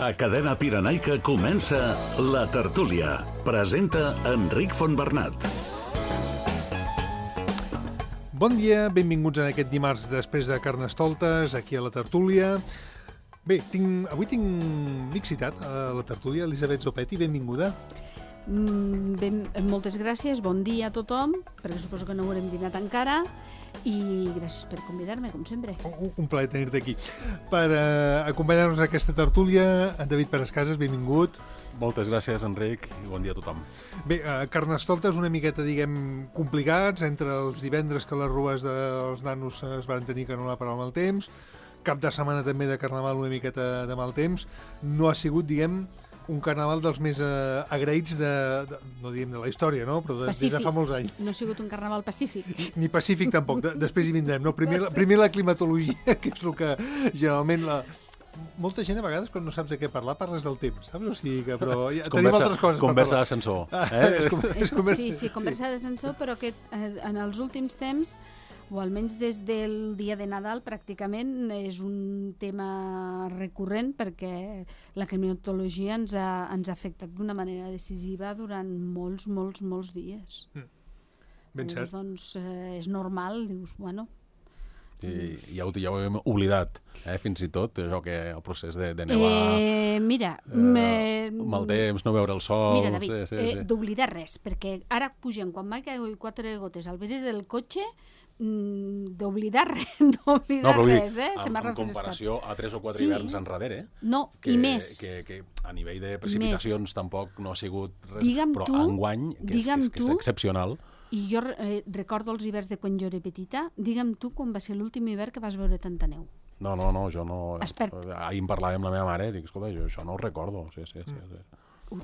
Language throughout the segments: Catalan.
A Cadena Pirenaica comença La Tertúlia. Presenta Enric Fontbernat. Bon dia, benvinguts en aquest dimarts després de Carnestoltes, aquí a La Tertúlia. Bé, avui tinc citat a La Tertúlia, Elisabet Zopetti, benvinguda. Moltes gràcies, bon dia a tothom, perquè suposo que no haurem dinat encara, i gràcies per convidar-me, com sempre. Un plaer tenir-te aquí. Per acompanyar-nos a aquesta tertúlia, en David Pérez Casas, benvingut. Moltes gràcies, Enric, i bon dia a tothom. Bé, Carnestoltes una miqueta, diguem, complicats, entre els divendres que les rues dels nanos es van tenir que anul·lar per al mal temps, cap de setmana també de Carnaval una miqueta de mal temps. No ha sigut, diguem, un carnaval dels més agraïts no diguem de la història, no? Però des de fa molts anys. No ha sigut un carnaval pacífic. Ni pacífic tampoc, després hi vindrem. No? Primer la climatologia, que és el que generalment molta gent a vegades quan no saps de què parlar parles del temps, saps? O sigui que, però ja tenim altres coses per parlar. Conversa d'ascensor. Sí, conversa d'ascensor, però que en els últims temps, o almenys des del dia de Nadal, pràcticament és un tema recurrent perquè la climatologia ens ha afectat d'una manera decisiva durant molts dies. Ben cert. Doncs és normal, dius, bueno... I ja ho hem oblidat, fins i tot, això que el procés de nevar... Mira... mal temps, no veure el sol... Mira, David, d'oblidar res, perquè ara pugem, quan va caure 4 gotes al vidre del cotxe, d'oblidar res, en comparació a 3 o 4 hiverns enrere, i més. Que a nivell de precipitacions tampoc no ha sigut res, però enguany, que és excepcional. I jo recordo els hiverns de quan jo era petita. Digue'm tu quan va ser l'últim hivern que vas veure tanta neu. No, jo no... Ahir en parlava amb la meva mare i dic, escolta, jo això no ho recordo. Sí.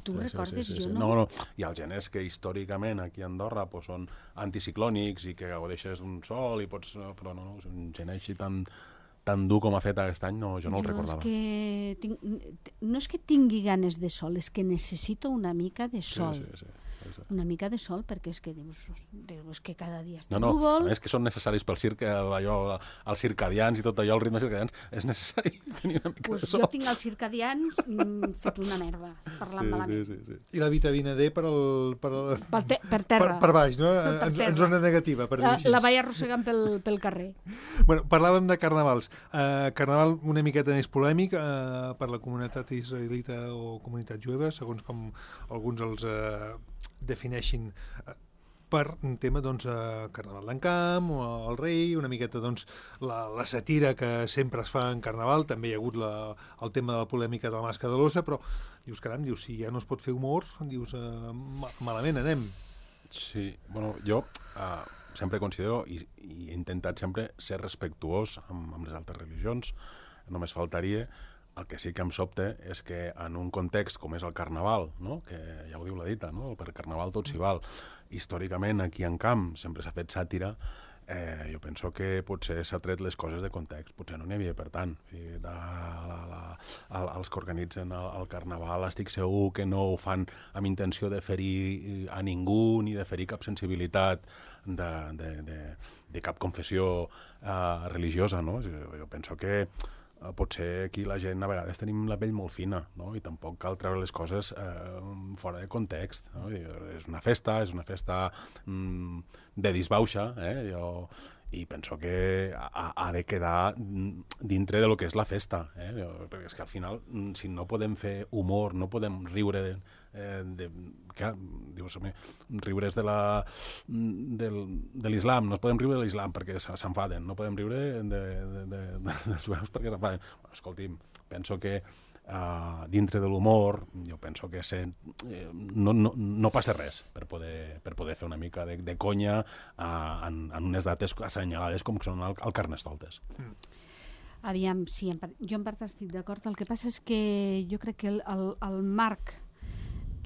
Tu recordes, jo no? No. I els geners que històricament aquí a Andorra són anticiclònics i que gaudeixes d'un sol i pots... Però no, un gener així tan dur com ha fet aquest any, jo no el recordava. No és que tingui ganes de sol, és que necessito una mica de sol. Sí. Una mica de sol, perquè és que dius que cada dia està núvol. No, és que són necessaris pel circ, els circadians i tot allò, el ritme circadians, és necessari tenir una mica de sol. Jo tinc els circadians fets una merda, parlant malament. Sí. I la vitamina D per terra. Per baix, no? En zona negativa, per dir així. La vaig arrossegant pel carrer. Bueno, parlàvem de carnavals. Carnaval una miqueta més polèmic per la comunitat israelita o comunitat jueva, segons com alguns els defineixin per un tema, Carnaval d'Encamp o el rei, una miqueta, la satira que sempre es fa en Carnaval, també hi ha hagut el tema de la polèmica de la màscara de l'ossa, però dius, caram, si ja no es pot fer humor, dius, malament anem. Sí, bueno, jo sempre considero i he intentat sempre ser respectuós amb les altres religions, només faltaria. El que sí que em sobta és que en un context com és el Carnaval, no? Que ja ho diu la dita, no? Per Carnaval tot s'hi val. Històricament, aquí en Camp sempre s'ha fet sàtira. Jo penso que potser s'ha tret les coses de context. Potser no n'hi havia per tant. Els que organitzen el Carnaval estic segur que no ho fan amb intenció de ferir a ningú ni de ferir cap sensibilitat de cap confessió religiosa, no? Jo penso que potser aquí la gent a vegades tenim la pell molt fina, no? I tampoc cal treure les coses fora de context, no? És una festa de disbauxa, i penso que ha de quedar dintre de lo que és la festa, perquè és que al final, si no podem fer humor, no podem riure riure's de l'islam, no podem riure de l'islam perquè s'enfaden, no podem riure dels jueus perquè s'enfaden. Escolti'm, penso que dintre de l'humor, jo penso que no passa res per poder fer una mica de conya en unes dates assenyalades com són el Carnestoltes. Aviam, sí, jo en part estic d'acord. El que passa és que jo crec que el marc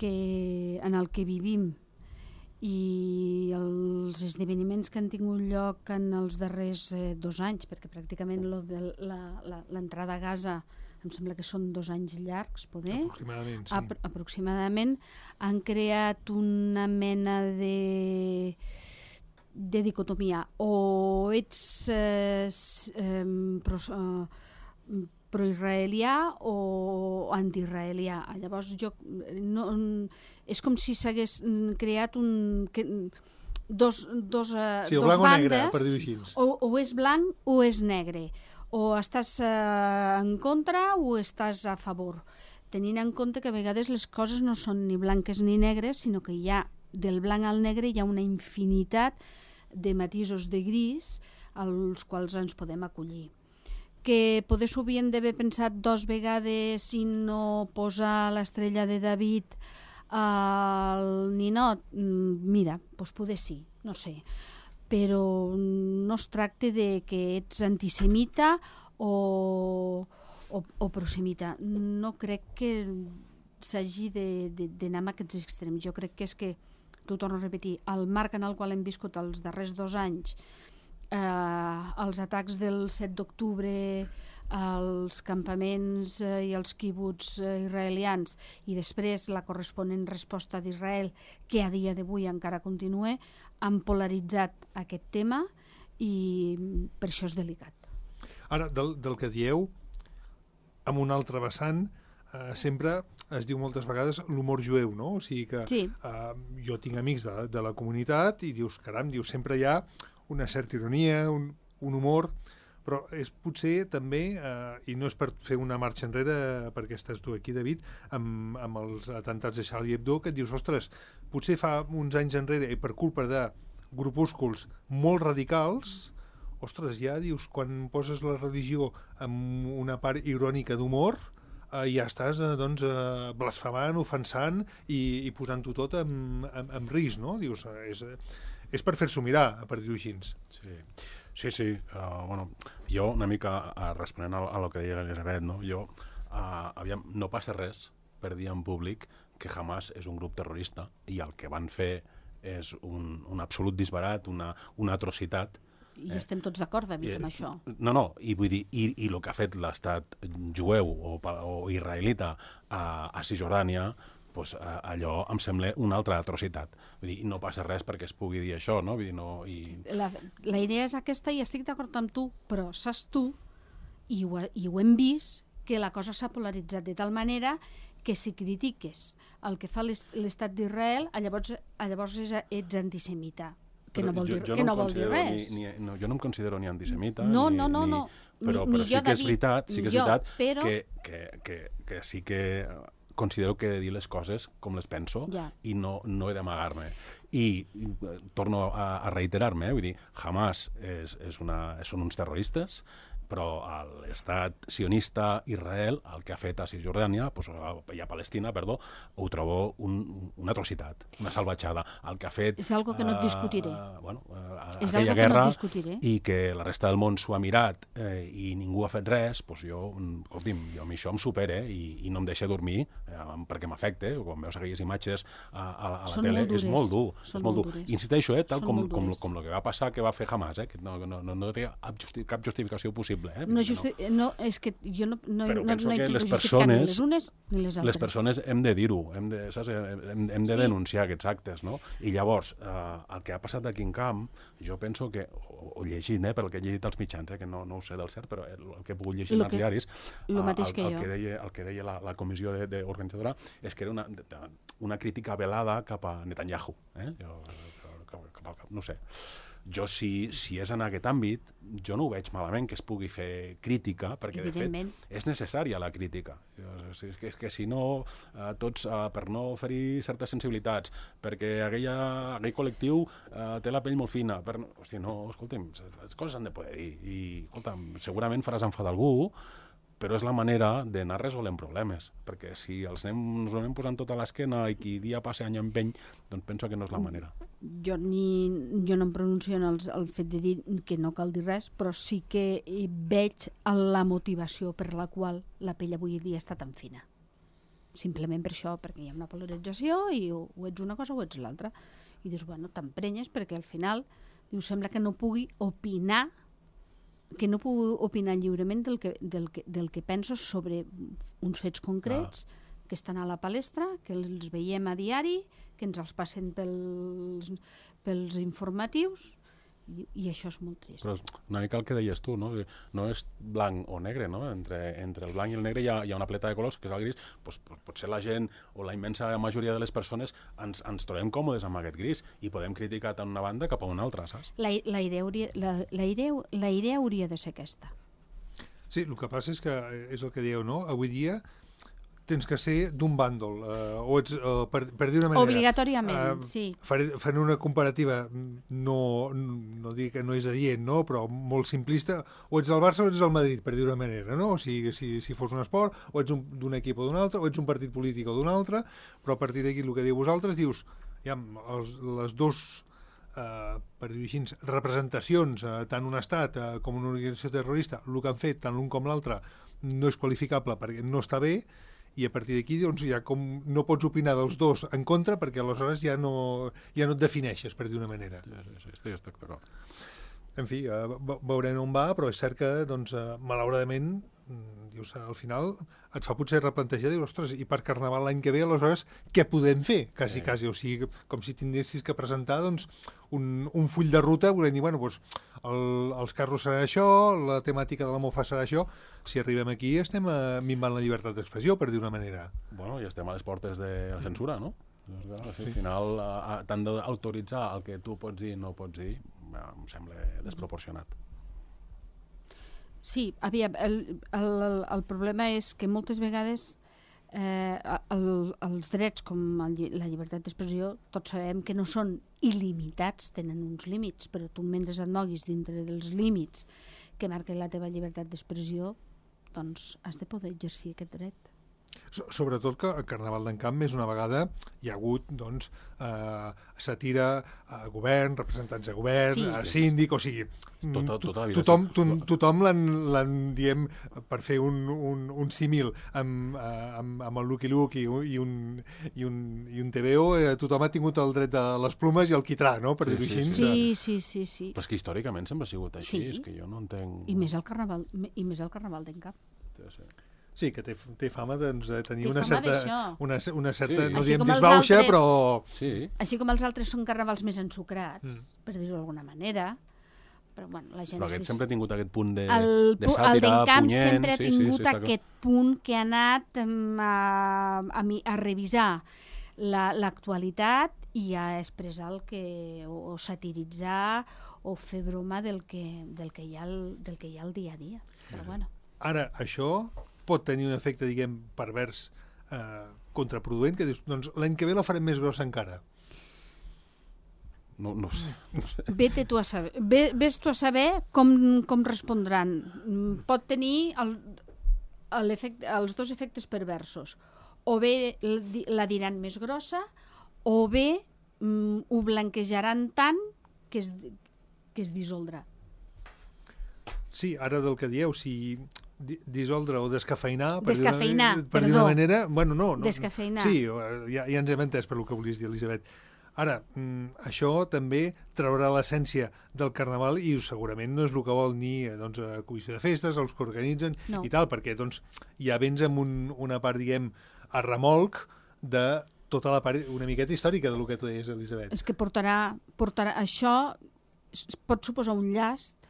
en el que vivim i els esdeveniments que han tingut lloc en els darrers 2 anys, perquè pràcticament l'entrada a Gaza em sembla que són 2 anys llargs, poder? Aproximadament, sí. Aproximadament han creat una mena de dicotomia. O ets pro-israelià o anti-israelià. Llavors, és com si s'hagués creat dos blanc o negre, per dir-ho així. O és blanc o és negre. O estàs en contra o estàs a favor. Tenint en compte que a vegades les coses no són ni blanques ni negres, sinó que del blanc al negre hi ha una infinitat de matisos de gris als quals ens podem acollir. Que poder s'ho havien d'haver pensat 2 vegades i no posar l'estrella de David al ninot, mira, doncs poder sí, no sé. Però no es tracta de que ets antisemita o prosemita. No crec que s'hagi d'anar amb aquests extrems. Jo crec que és que, t'ho torno a repetir, el marc en el qual hem viscut els darrers 2 anys, els atacs del 7 d'octubre, els campaments i els quibuts israelians i després la corresponent resposta d'Israel, que a dia d'avui encara continua, han polaritzat aquest tema i per això és delicat. Ara, del que dieu, amb un altre vessant, sempre es diu moltes vegades l'humor jueu, no? O sigui que sí. Jo tinc amics de la comunitat i dius, caram, sempre hi ha una certa ironia, un humor, però és potser també, i no és per fer una marxa enrere perquè estàs tu aquí, David, amb els atentats de Charlie Hebdo, que et dius, ostres, potser fa uns anys enrere, i per culpa de grupúsculs molt radicals, ostres, ja dius, quan poses la religió amb una part irònica d'humor, ja estàs blasfemant, ofensant i posant-ho tot en risc, no? Dius, és per fer-s'ho mirar, per dir-ho així. Sí. Bueno, jo una mica responent a lo que deia l'Elisabet, no? No passa res per dir en públic que Hamas és un grup terrorista i el que van fer és un absolut disbarat, una atrocitat. I estem tots d'acord, David, amb això. No, i vull dir, i el que ha fet l'estat jueu o israelita a Cisjordània, doncs allò em sembla una altra atrocitat. Vull dir, no passa res perquè es pugui dir això, no? Vull dir, no la idea és aquesta i estic d'acord amb tu, però saps tu, i ho hem vist, que la cosa s'ha polaritzat de tal manera que si critiques el que fa l'estat d'Israel, llavors ets antisemita. Que no vol dir res. Jo no em considero ni antisemita, no. Però sí que és veritat que sí que considero que he de dir les coses com les penso i no he d'amagar-me. I torno a reiterar-me, vull dir, Hamas són uns terroristes, però l'estat sionista Israel, el que ha fet a Cisjordània, i a Palestina, ho trobo una atrocitat, una salvatjada. El que ha fet... És algo que no et discutiré. Aquella guerra, i que la resta del món s'ho ha mirat i ningú ha fet res, escolti'm, jo amb això em supera i no em deixa dormir perquè m'afecta. Quan veus aquelles imatges a la tele, és molt dur. Insisteixo, tal com el que va passar, que va fer Hamas, que no té cap justificació possible. És que jo no penso que les persones ni les altres. Les persones hem de dir-ho, hem de denunciar aquests actes, no? I llavors, el que ha passat aquí en camp, jo penso que, o llegint, perquè he llegit als mitjans, que no ho sé del cert, però el que he pogut llegir als diaris, el que deia la comissió organitzadora és que era una crítica velada cap a Netanyahu. No sé. Jo, si és en aquest àmbit, jo no ho veig malament que es pugui fer crítica, perquè de fet és necessària la crítica. És que si no, tots, per no ferir certes sensibilitats, perquè aquell col·lectiu té la pell molt fina, escolta'm, les coses s'han de poder dir, i escolta'm, segurament faràs enfadar algú, però és la manera d'anar resolent problemes, perquè si ens anem posant tot a l'esquena i qui dia passa any empeny, doncs penso que no és la manera. Jo no em pronuncio en el fet de dir que no cal dir res, però sí que veig la motivació per la qual la pell avui dia està tan fina. Simplement per això, perquè hi ha una polarització i o ets una cosa o ets l'altra. I dius, bueno, t'emprenyes perquè al final sembla que no pugui opinar lliurement del que penso sobre uns fets concrets que estan a la palestra, que els veiem a diari, que ens els passen pels informatius I això és molt trist. Però és una mica el que deies tu, no? No és blanc o negre, no? Entre el blanc i el negre hi ha una pleta de colors, que és el gris. Potser la gent, o la immensa majoria de les persones, ens trobem còmodes amb aquest gris i podem criticar tant una banda cap a una altra, saps? La idea hauria de ser aquesta. Sí, el que passa és que és el que dieu, no? Avui dia tens que ser d'un bàndol, o ets, per dir una manera... Obligatòriament, sí. Fent una comparativa, no dic que no és adient, no? Però molt simplista, o ets el Barça o ets el Madrid, per dir una manera, no? O sigui, si fos un esport, o ets d'un equip o d'un altre, o ets un partit polític o d'un altre, però a partir d'aquí el que diu vosaltres, dius, ja, les dos, per dir-ho així, representacions, tant un estat com una organització terrorista, el que han fet, tant l'un com l'altre, no és qualificable perquè no està bé, i a partir d'aquí doncs, ja com no pots opinar dels dos en contra perquè aleshores ja no et defineixes, per dir una manera. Sí, estic d'acord. En fi, veurem on va, però és cert que, doncs, malauradament, dius, al final et fa potser replantejar, dius, ostres, i per Carnaval l'any que ve, aleshores, què podem fer? Quasi, o sigui, com si tinguessis que presentar, doncs, un full de ruta, volem dir, bueno, doncs, els carros serà això, la temàtica de la mofa serà això. Si arribem aquí estem minvant la llibertat d'expressió, per dir una manera. Bueno, i estem a les portes de la censura, no? Al final, t'han d'autoritzar el que tu pots dir i no pots dir, em sembla desproporcionat. Sí, aviam, el problema és que moltes vegades els drets com la llibertat d'expressió tots sabem que no són il·limitats, tenen uns límits, però tu mentre et moguis dintre dels límits que marquen la teva llibertat d'expressió, doncs has de poder exercir aquest dret. Sobretot que el Carnaval d'Encamp més una vegada hi ha hagut doncs, sàtira a govern, representants de govern, a síndic, o sigui, tothom l'han, diem, per fer un símil amb el Lucky Luke i un TVO, tothom ha tingut el dret de les plumes i el quitrà, no?, per dir-ho així. Sí. Però és que històricament sempre ha sigut així, és que jo no entenc... I més el Carnaval d'Encamp. Sí, que té fama de tenir una certa, no diem com disbauxa, però... Així com els altres són carnavals més ensucrats, per dir-ho d'alguna manera, però bueno, la gent... Però aquest sempre ha tingut aquest punt de sàtira, punyent... El d'Encamp sempre ha tingut aquest punt que ha anat a revisar l'actualitat i a expressar o satiritzar o fer broma del que hi ha al dia a dia. Però bueno. Ara, això pot tenir un efecte, diguem, pervers, contraproduent, que dius, doncs l'any que ve la farem més grossa encara. No sé. Ves tu a saber com respondran. Pot tenir els dos efectes perversos. O bé la diran més grossa, o bé ho blanquejaran tant que es dissoldrà. Sí, ara del que dieu, si dissoldre o descafeinar, per dir una manera... Bueno, no. Descafeinar. Sí, ja ens hem entès per el que volies dir, Elisabet. Ara, això també traurà l'essència del Carnaval i segurament no és el que vol ni la comissió de festes, els que organitzen i tal, perquè ja vens amb una part, diguem, a remolc de tota la part una miqueta històrica del que tu deies, Elisabet. És que portarà això pot suposar un llast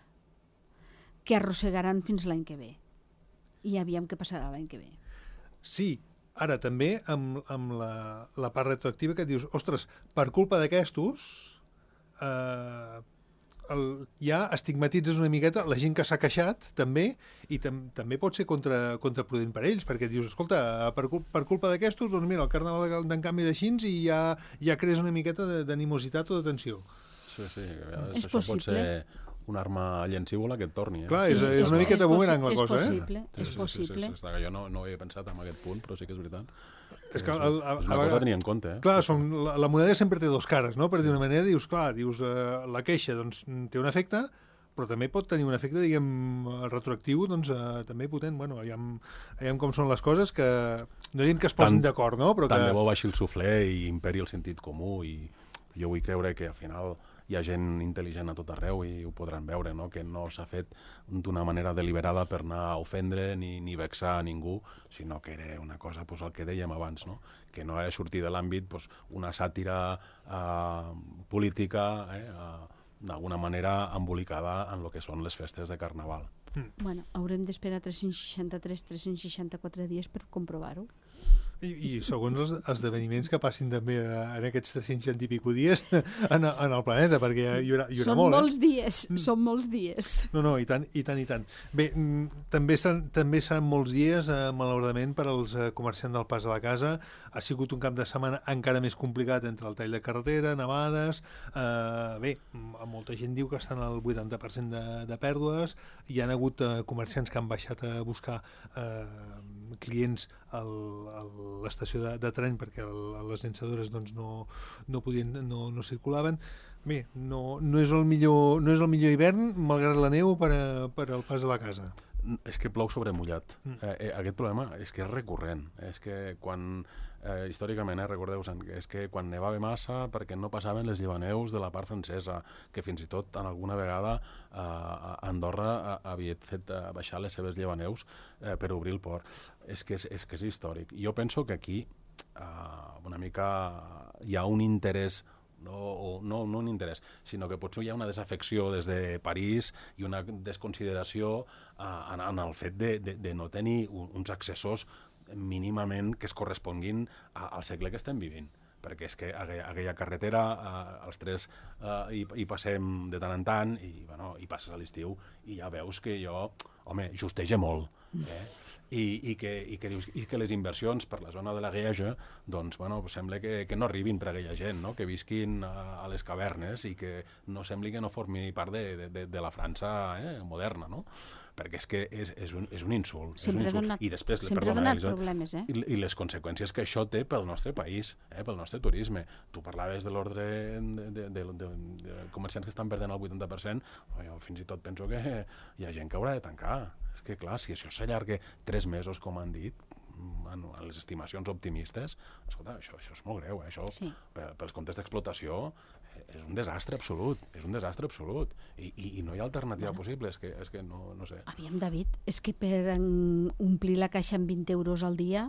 que arrossegaran fins l'any que ve. I aviam què passarà l'any que ve. Sí, ara també amb la part retroactiva que et dius, ostres, per culpa d'aquestos ja estigmatitzes una miqueta la gent que s'ha queixat també, i també pot ser contraproduent per ells, perquè dius, escolta, per culpa d'aquestos, doncs mira, el Carnaval d'Encamp és així i ja crees una miqueta d'animositat o de tensió. Sí, és això pot ser una arma llancívola que et torni. Clar, és una miqueta bumerang la cosa, És possible. Jo no ho havia pensat en aquest punt, però sí que és veritat. És una cosa a tenir en compte. Clar, la moneda sempre té dos cares, no? Per dir una manera, dius, la queixa té un efecte, però també pot tenir un efecte, diguem, retroactiu, també potent. Bueno, veiem com són les coses, que no diem que es posin d'acord, no? Tant de bo baixi el suflé i imperi el sentit comú, i jo vull creure que al final hi ha gent intel·ligent a tot arreu i ho podran veure, no? Que no s'ha fet d'una manera deliberada per anar a ofendre ni vexar a ningú, sinó que era una cosa, el que dèiem abans, no? Que no ha de sortir de l'àmbit una sàtira política d'alguna manera embolicada en el que són les festes de Carnaval. Bueno, haurem d'esperar 364 dies per comprovar-ho. I segons els esdeveniments que passin també en aquests 300 i pico dies en el planeta, perquè hi haurà són molt. Molts dies, són molts dies. No, i tant. Bé, també seran molts dies, malauradament, per als comerciants del Pas a la Casa. Ha sigut un cap de setmana encara més complicat entre el tall de carretera, nevades. Bé, molta gent diu que estan al 80% de pèrdues. Hi ha hagut comerciants que han baixat a buscar clients a l'estació de tren perquè les llançadores doncs, no circulaven. Bé, no és el millor hivern, malgrat la neu, per al Pas a la Casa. És que plou sobre mullat. Aquest problema és que és recurrent. És que quan, històricament, recordeu-vos, és que quan nevava massa perquè no passaven les llevaneus de la part francesa, que fins i tot en alguna vegada Andorra havia fet baixar les seves llevaneus per obrir el port. És que és històric. Jo penso que aquí una mica hi ha un interès no un interès, sinó que potser hi ha una desafecció des de París i una desconsideració en el fet de no tenir uns accessos mínimament que es corresponguin al segle que estem vivint. Perquè és que aquella carretera, els tres hi passem de tant en tant i passes a l'estiu i ja veus que justeja molt. I que les inversions per la zona de la Gueja doncs, sembla que no arribin per a aquella gent, no? Que visquin a les cavernes i que no sembli que no formi part de la França moderna, no? Perquè és que és un insult. I després, problemes, i les conseqüències que això té pel nostre país, pel nostre turisme. Tu parlaves de l'ordre de comerciants que estan perdent el 80%, jo fins i tot penso que hi ha gent que haurà de tancar. És que, clar, si això s'allarga 3 mesos, com han dit, en les estimacions optimistes, escolta, això és molt greu. Això, pels comptes d'explotació, és un desastre absolut. I no hi ha alternativa possible. És que no sé. Aviam, David, és que per omplir la caixa amb 20 euros al dia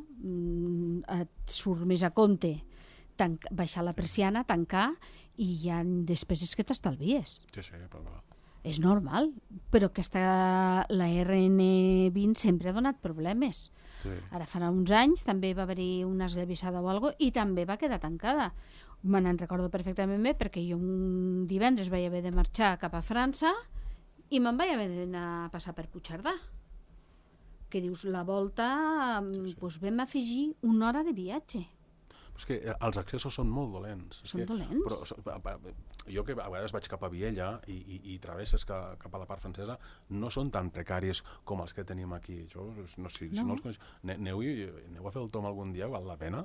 et surt més a compte baixar la persiana, tancar, i hi ha despeses que t'estalvies. Sí, però... És normal, però la RN20 sempre ha donat problemes. Sí. Ara farà uns anys també va haver-hi una esllavissada o alguna cosa i també va quedar tancada. Me n'en recordo perfectament bé perquè jo un divendres vaig haver de marxar cap a França i me'n vaig haver d'anar a passar per Puigcerdà. Que dius, la volta, doncs vam afegir 1 hora de viatge. És que els accessos són molt dolents. Dolents? Però jo que a vegades vaig cap a Viella i travesses cap a la part francesa, no són tan precaris com els que tenim aquí. Jo, si no els coneix, aneu a fer el tom algun dia, val la pena.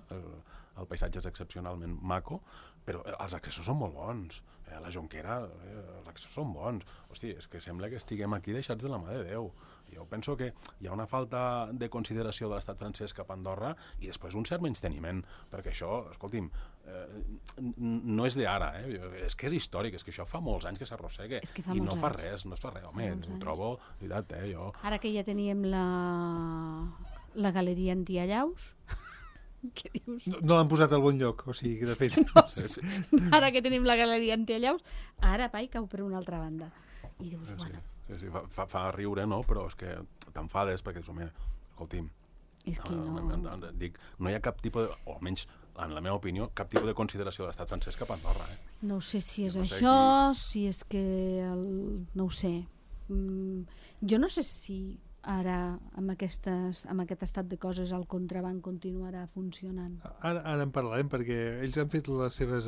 El paisatge és excepcionalment maco, però els accessos són molt bons. La Jonquera, els accessos són bons. Hosti, és que sembla que estiguem aquí deixats de la mà de Déu. Jo penso que hi ha una falta de consideració de l'estat francès cap a Andorra i després un cert menysteniment, perquè això, escolti'm, no és d'ara, és que és històric, és que això fa molts anys que s'arrossega i no fa res. Home, ho trobo, veritat, jo... Ara que ja teníem la galeria antiallaus, què dius? No l'han posat al bon lloc, o sigui, de fet... Ara que tenim la galeria antiallaus, ara cau per una altra banda. I dius, bueno... Sí, fa riure, no? Però és que t'enfades perquè dius, home, escolti'm, no hi ha cap tipus de, o almenys en la meva opinió, cap tipus de consideració de l'estat francès cap a Andorra. No sé si és això, si és que... No ho sé. Jo no sé si ara, amb aquest estat de coses, el contraban continuarà funcionant. Ara en parlarem, perquè ells han fet les seves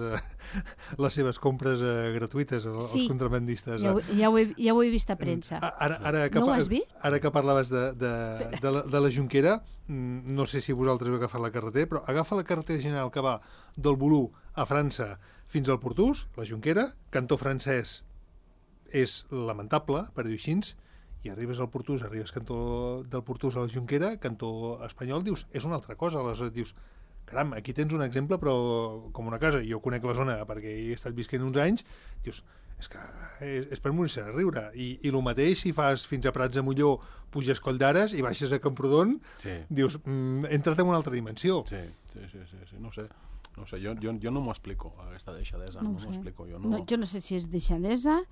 compres gratuïtes, els contrabandistes. Ja ho he vist a premsa. No ho has vist? Ara que parlaves de la Jonquera, no sé si vosaltres heu agafat la carretera, però agafa la carretera general que va del Volú a França fins al Portús, la Jonquera, cantó francès és lamentable, per dir-ho així, i arribes al Portús, arribes del Portús a la Jonquera, cantó espanyol, dius, és una altra cosa. Aleshores dius, caram, aquí tens un exemple, però com una casa. Jo conec la zona perquè hi he estat visquent uns anys, dius, és que és per morir-se de riure. I el mateix si fas fins a Prats de Molló, puges Coll d'Ares i baixes a Camprodon, dius, entra't en una altra dimensió. Sí, no sé. No sé, jo no m'ho explico, aquesta deixadesa, no m'ho explico. Jo no sé si és deixadesa,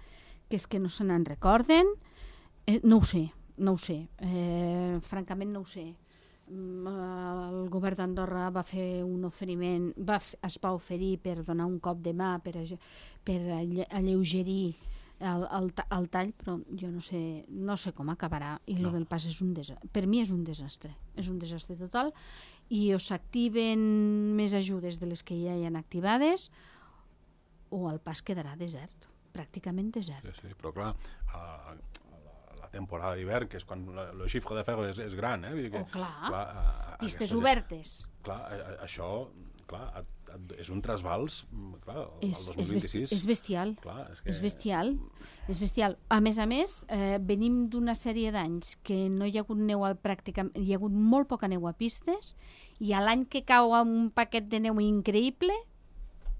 que és que no se n'en recorden, no ho sé, francament no ho sé. El govern d'Andorra va fer un oferiment, es va oferir per donar un cop de mà, per alleugerir el tall, però jo no sé com acabarà, i el del pas per mi és un desastre total, i o s'activen més ajudes de les que ja hi ha activades o el pas quedarà desert, pràcticament desert. Sí, però clar, la temporada d'hivern, que és quan el xifre de ferro és gran, pistes obertes. Clar, això, clar, és un trasbals, clar, el 2026. És bestial. Clar, és bestial. A més, venim d'una sèrie d'anys que no hi ha hagut neu pràcticament, hi ha hagut molt poca neu a pistes, i a l'any que cau un paquet de neu increïble,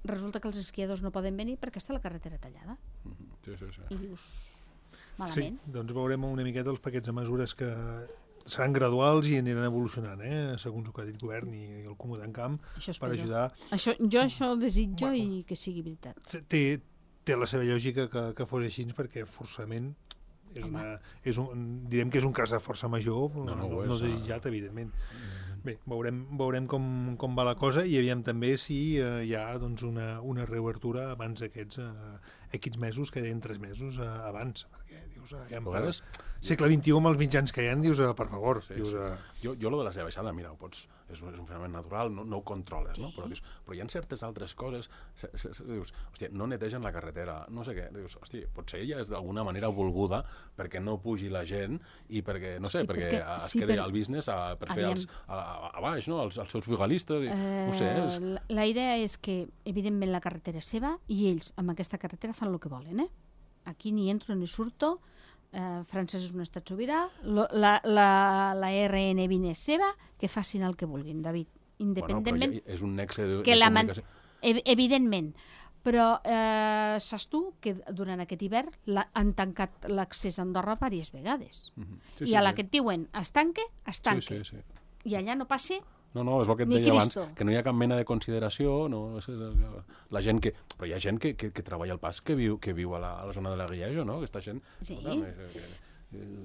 resulta que els esquiadors no poden venir perquè està la carretera tallada. Sí. I dius, malament. Sí, doncs veurem una miqueta els paquets de mesures que seran graduals i aniran evolucionant, segons el que ha dit el govern i el Comú d'Encamp, per ajudar. Jo això desitjo i que sigui veritat. Té la seva lògica que fos així, perquè forçament direm que és un cas de força major, no desitjat, evidentment. Bé, veurem com va la cosa, i aviam també si hi ha una reobertura abans d'aquests mesos, que deien 3 mesos abans, perquè dius, segle XXI amb els mitjans que hi ha, dius, per favor. Jo lo de la seva baixada, mira, és un fenomen natural, no ho controles, no? Però hi ha certes altres coses, dius, hòstia, no netegen la carretera, no sé què, dius, hòstia, potser ella és d'alguna manera volguda perquè no pugi la gent i perquè, no sé, perquè es quedi al business per fer a baix, no? Els seus brigalistes, no sé. La idea és que, evidentment, la carretera és seva i ells amb aquesta carretera fan el que volen, Aquí ni entro ni surto, França és un estat sobirà, la RN20 és seva, que facin el que vulguin, David, independentment... Bueno, és un nexe de comunicació. Evidentment, però saps tu que durant aquest hivern han tancat l'accés a Andorra diverses vegades. I a la que et diuen es tanque, es tanque. I allà no passa... No, és el que et deia abans, que no hi ha cap mena de consideració, la gent que... Però hi ha gent que treballa al pas, que viu a la zona de la Guillejo, no? Aquesta gent... Sí.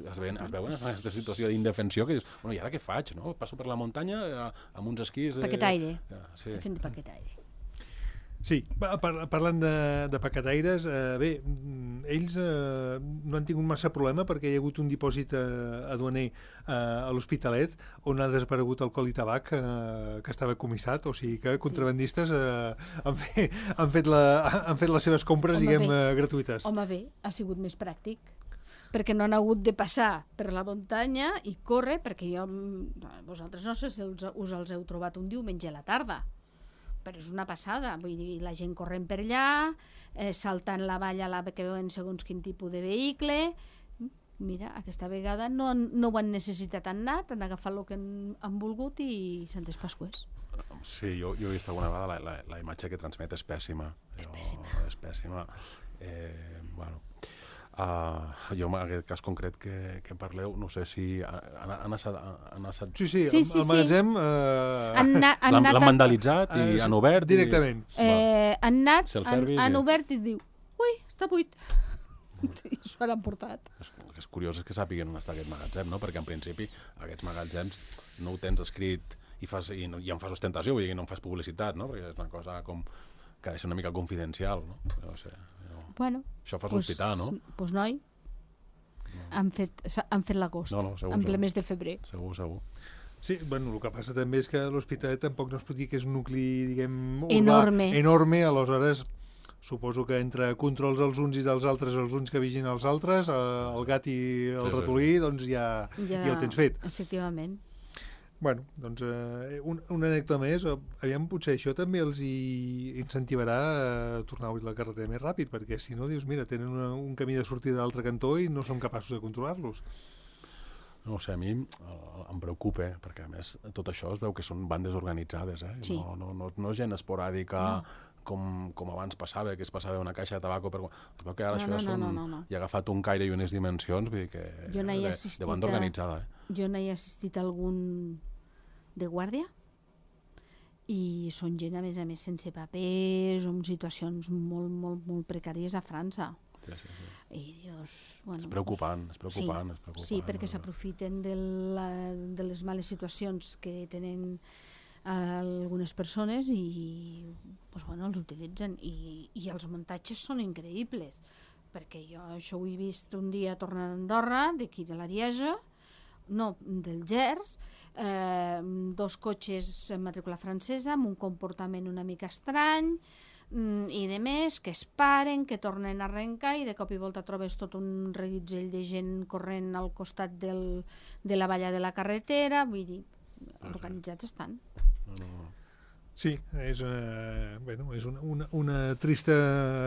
Es veuen en aquesta situació d'indefensió, que dius, bueno, i ara què faig, no? Passo per la muntanya amb uns esquís... Paquetaire. Fent de paquetaire. Sí, parlant de paquetaires, bé, ells no han tingut massa problema perquè hi ha hagut un dipòsit aduaner a l'Hospitalet on ha desaparegut alcohol i tabac que estava comissat, o sigui que contrabandistes han fet les seves compres, diguem, gratuïtes. Home, bé, ha sigut més pràctic, perquè no han hagut de passar per la muntanya i córrer, perquè vosaltres no sé si us els heu trobat un diumenge a la tarda, però és una passada, vull dir, la gent corrent per allà, saltant la valla que veuen segons quin tipus de vehicle. Mira, aquesta vegada no ho han necessitat, han agafat el que han volgut i Santes Pasqües. Sí, jo he vist alguna vegada la imatge que transmet és pèssima. És pèssima. Bueno, jo en aquest cas concret que en parleu, no sé si han estat... Sí, el magatzem... L'han vandalitzat i han obert... Directament. Han obert i diu, ui, està buit. I s'ho han portat. El que és curiós és que sàpiguen on està aquest magatzem, no? Perquè en principi aquests magatzems no ho tens escrit i en fas ostentació, vull dir que no en fas publicitat, no? Perquè és una cosa com que ha de ser una mica confidencial, no? No sé. Bueno, això fa sospitar, no? Doncs noi, han fet l'agost, en ple mes de febrer. Segur. Sí, bueno, el que passa també és que l'Hospitalet tampoc no es pot dir que és un nucli, diguem, enorme, aleshores suposo que entre controls dels uns i dels altres, els uns que vigin els altres, el gat i el ratolí, doncs ja ho tens fet. Efectivament. Bueno, doncs una anècdota més, aviam, potser això també els incentivarà a tornar a obrir la carretera més ràpid, perquè si no, dius, mira, tenen un camí de sortida a l'altre cantó i no som capaços de controlar-los. No sé, a mi em preocupa, perquè a més tot això es veu que són bandes organitzades, Sí. No és gent esporàdica, com abans passava, que es passava una caixa de tabaco, però es veu que ara això hi ha agafat un caire i unes dimensions, vull dir que de banda organitzada. Jo n'he assistit a algun de guàrdia i són gent, a més, sense papers o en situacions molt, molt, molt precàries a França. Sí. I dius... Bueno, és preocupant. Sí, perquè s'aprofiten de les males situacions que tenen algunes persones i els utilitzen. I els muntatges són increïbles, perquè jo això ho he vist un dia tornant a Andorra, d'aquí de l'Ariège, no, del Gers, 2 cotxes en matrícula francesa amb un comportament una mica estrany i de més, que es paren, que tornen a arrencar i de cop i volta trobes tot un reguitzell de gent corrent al costat de la valla de la carretera, vull dir, organitzats estan. Sí, és una trista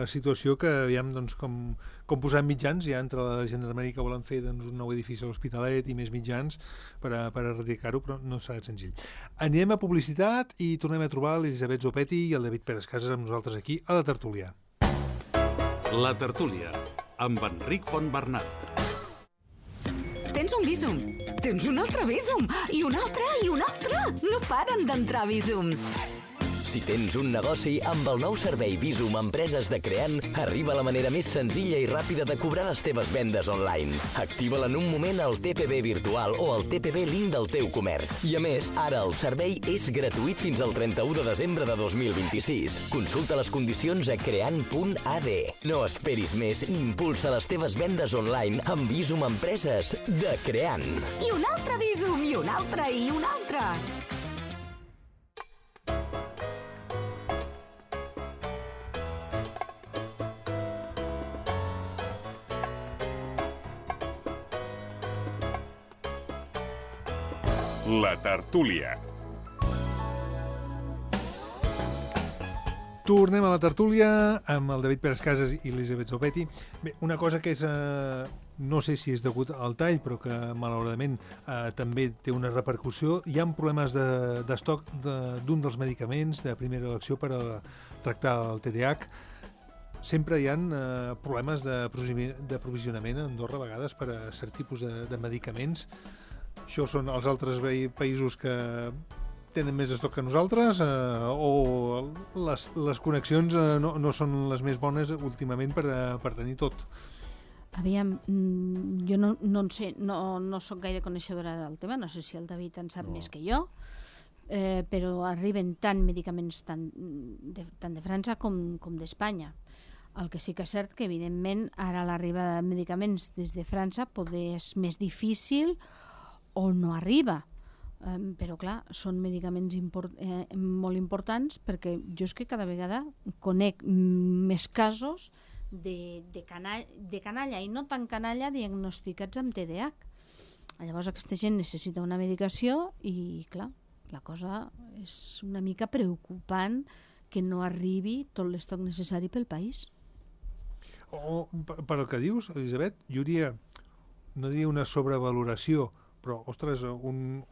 situació que aviam com posar mitjans, ja entre la gendarmeria que volen fer un nou edifici a l'Hospitalet i més mitjans per erradicar-ho, però no serà senzill. Anem a publicitat i tornem a trobar l'Elisabet Zopetti i el David Pérez Casas amb nosaltres aquí a La Tertúlia. La Tertúlia, amb Enric Fontbernat. Tens un Bizum, tens un altre Bizum, i un altre, i un altre. No paren d'entrar Bizums. Si tens un negoci, amb el nou servei Bizum Empreses de Creant, arriba la manera més senzilla i ràpida de cobrar les teves vendes online. Activa-la en un moment al TPB virtual o al TPB link del teu comerç. I a més, ara el servei és gratuït fins al 31 de desembre de 2026. Consulta les condicions a creant.ad. No esperis més i impulsa les teves vendes online amb Bizum Empreses de Creant. I un altre Bizum, i un altre, i un altre. La Tertúlia. Tornem a La Tertúlia amb el David Pérez Casas i l'Elisabet Zopetti. Bé, una cosa que és, no sé si és degut al tall, però que malauradament també té una repercussió. Hi ha problemes d'estoc d'un dels medicaments de primera elecció per a tractar el TDAH. Sempre hi ha problemes d'aprovisionament a Andorra a vegades per a cert tipus de medicaments. Això són els altres països que tenen més estoc que nosaltres o les connexions no són les més bones últimament per tenir tot? Aviam, jo no en sé, no soc gaire coneixedora del tema, no sé si el David en sap més que jo, però arriben tant medicaments tant de França com d'Espanya. El que sí que és cert que, evidentment, ara l'arribada de medicaments des de França poder és més difícil o no arriba, però clar, són medicaments molt importants perquè jo és que cada vegada conec més casos de canalla i no tan canalla diagnosticats amb TDAH. Llavors aquesta gent necessita una medicació i clar, la cosa és una mica preocupant que no arribi tot l'estoc necessari pel país. Per el que dius, Elisabet, jo diria, no diria una sobrevaloració, però, ostres, un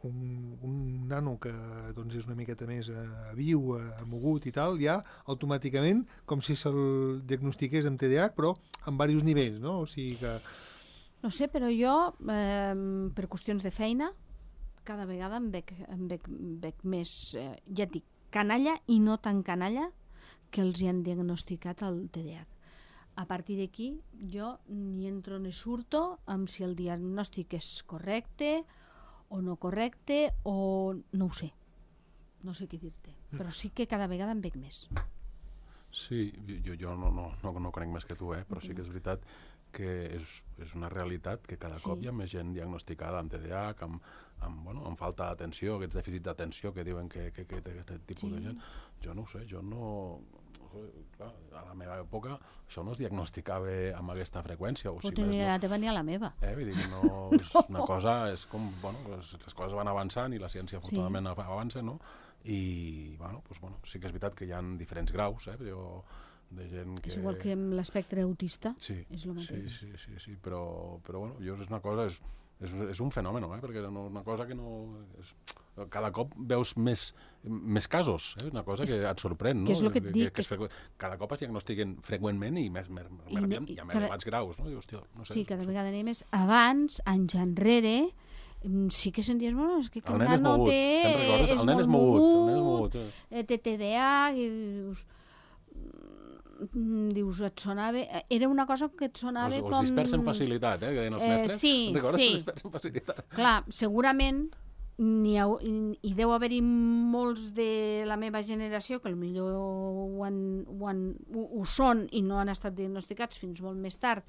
nano que és una miqueta més viu, mogut i tal, ja automàticament, com si se'l diagnostiqués amb TDAH, però amb diversos nivells, no? O sigui que... No sé, però jo, per qüestions de feina, cada vegada em veig més, ja et dic, canalla i no tan canalla que els hi han diagnosticat el TDAH. A partir d'aquí, jo ni entro ni surto amb si el diagnòstic és correcte o no correcte o no ho sé. No sé què dir-te, però sí que cada vegada em veig més. Sí, jo no conec més que tu, però sí que és veritat que és una realitat que cada cop hi ha més gent diagnosticada amb TDAH, amb falta d'atenció, aquests dèficits d'atenció que diuen que té aquest tipus de gent. Jo no ho sé, clar, a la meva època això no es diagnosticava amb aquesta freqüència. Potser ni a la teva ni a la meva. Vull dir que no és una cosa, és com, les coses van avançant i la ciència afortunadament avança, no? I, sí que és veritat que hi ha diferents graus, de gent que... És igual que amb l'espectre autista, és el mateix. Sí, però jo és una cosa, és un fenomen, perquè és una cosa que no... Cada cop veus més casos, una cosa que et sorprèn, no? Que és el que et dic. Cada cop es diagnostiquen freqüentment i més elevats graus, no? Sí, cada vegada n'hi ha més. Abans, anys enrere, sí que senties, bueno, és que El un nen és nano mogut. Te'n recordes? El nen és mogut. té TDA, i dius, et sonava... Era una cosa que et sonava com... Els dispersen facilitat, que deien els mestres. Sí, Te'n recordes? sí. Els dispersen facilitat. Clar, segurament hi deu haver-hi molts de la meva generació que potser ho són i no han estat diagnosticats fins molt més tard,